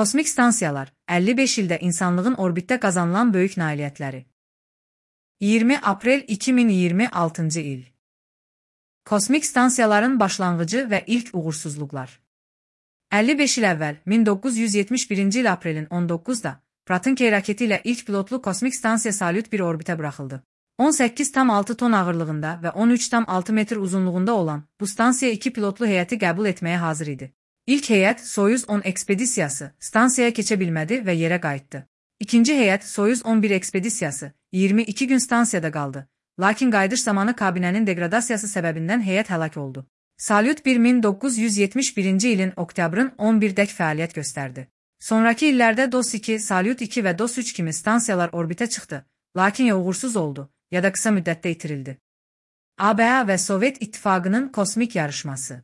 Kosmik stansiyalar, 55 ildə insanlığın orbitdə qazanılan böyük nailiyyətləri. 20 aprel 2026-cı il. Kosmik stansiyaların başlanğıcı və ilk uğursuzluqlar. 55 il əvvəl, 1971-ci il aprelin 19-da, Protonkey raketi ilə ilk pilotlu kosmik stansiya Salyut 1 orbitə buraxıldı. 18,6 ton ağırlığında və 13,6 metr uzunluğunda olan bu stansiya 2 pilotlu heyəti qəbul etməyə hazır idi. İlk heyət Soyuz 10 ekspedisiyası stansiyaya keçə bilmədi və yerə qayıtdı. İkinci heyət Soyuz 11 ekspedisiyası 22 gün stansiyada qaldı, lakin qayıdış zamanı kabinənin degradasiyası səbəbindən heyət həlak oldu. Salyut 1 1971-ci ilin oktyabrın 11-dək fəaliyyət göstərdi. Sonrakı illərdə DOS-2, Salyut 2 və DOS-3 kimi stansiyalar orbitə çıxdı, lakin ya uğursuz oldu, ya da qısa müddətdə itirildi. ABA və Sovet İttifaqının kosmik yarışması.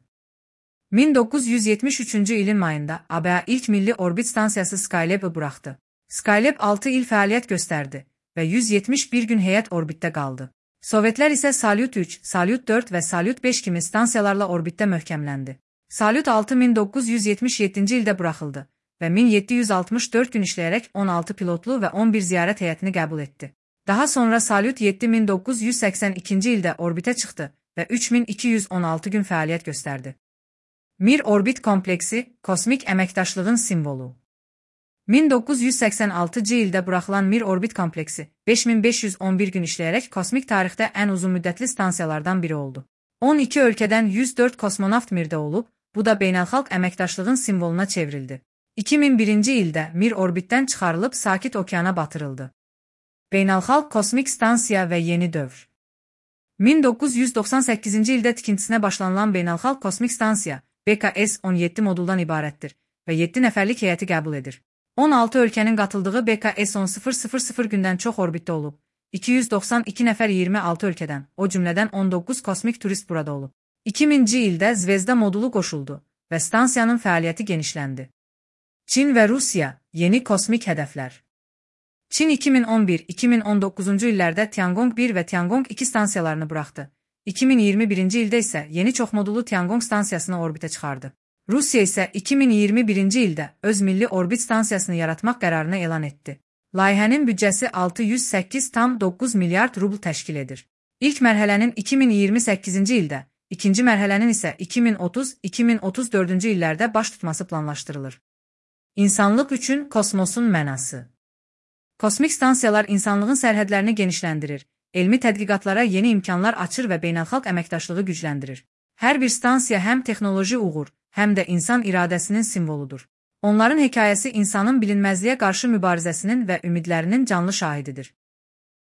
1973-cü ilin mayında ABA ilk milli orbit stansiyası Skylab'ı buraxdı. Skylab 6 il fəaliyyət göstərdi və 171 gün heyət orbitdə qaldı. Sovetlər isə Salyut 3, Salyut 4 və Salyut 5 kimi stansiyalarla orbitdə möhkəmləndi. Salyut 6 1977-ci ildə buraxıldı və 1764 gün işləyərək 16 pilotlu və 11 ziyarət heyətini qəbul etdi. Daha sonra Salyut 7 1982-ci ildə orbitə çıxdı və 3216 gün fəaliyyət göstərdi. Mir orbit kompleksi, kosmik əməkdaşlığın simvolu. 1986-cı ildə buraxılan Mir orbit kompleksi, 5511 gün işləyərək kosmik tarixdə ən uzun müddətli stansiyalardan biri oldu. 12 ölkədən 104 kosmonavt Mirdə olub, bu da beynəlxalq əməkdaşlığın simvoluna çevrildi. 2001-ci ildə Mir orbitdən çıxarılıb Sakit okeana batırıldı. Beynəlxalq kosmik stansiya və yeni dövr. 1998-ci ildə tikintisinə başlanılan beynəlxalq kosmik stansiya BKS-17 moduldan ibarətdir və 7 nəfərlik heyəti qəbul edir. 16 ölkənin qatıldığı BKS-10 gündən çox orbitdə olub. 292 nəfər 26 ölkədən, o cümlədən 19 kosmik turist burada olub. 2000-ci ildə Zvezda modulu qoşuldu və stansiyanın fəaliyyəti genişləndi. Çin və Rusiya, yeni kosmik hədəflər. Çin 2011-2019-cu illərdə Tiangong 1 və Tiangong 2 stansiyalarını buraxdı. 2021-ci ildə isə yeni çoxmodullu Tiangong stansiyasını orbitə çıxardı. Rusiya isə 2021-ci ildə öz milli orbit stansiyasını yaratmaq qərarını elan etdi. Layihənin büdcəsi 608,9 milyard rubl təşkil edir. İlk mərhələnin 2028-ci ildə, ikinci mərhələnin isə 2030-2034-cü illərdə baş tutması planlaşdırılır. İnsanlıq üçün kosmosun mənası. Kosmik stansiyalar insanlığın sərhədlərini genişləndirir, elmi tədqiqatlara yeni imkanlar açır və beynəlxalq əməkdaşlığı gücləndirir. Hər bir stansiya həm texnoloji uğur, həm də insan iradəsinin simvoludur. Onların hekayəsi insanın bilinməzliyə qarşı mübarizəsinin və ümidlərinin canlı şahididir.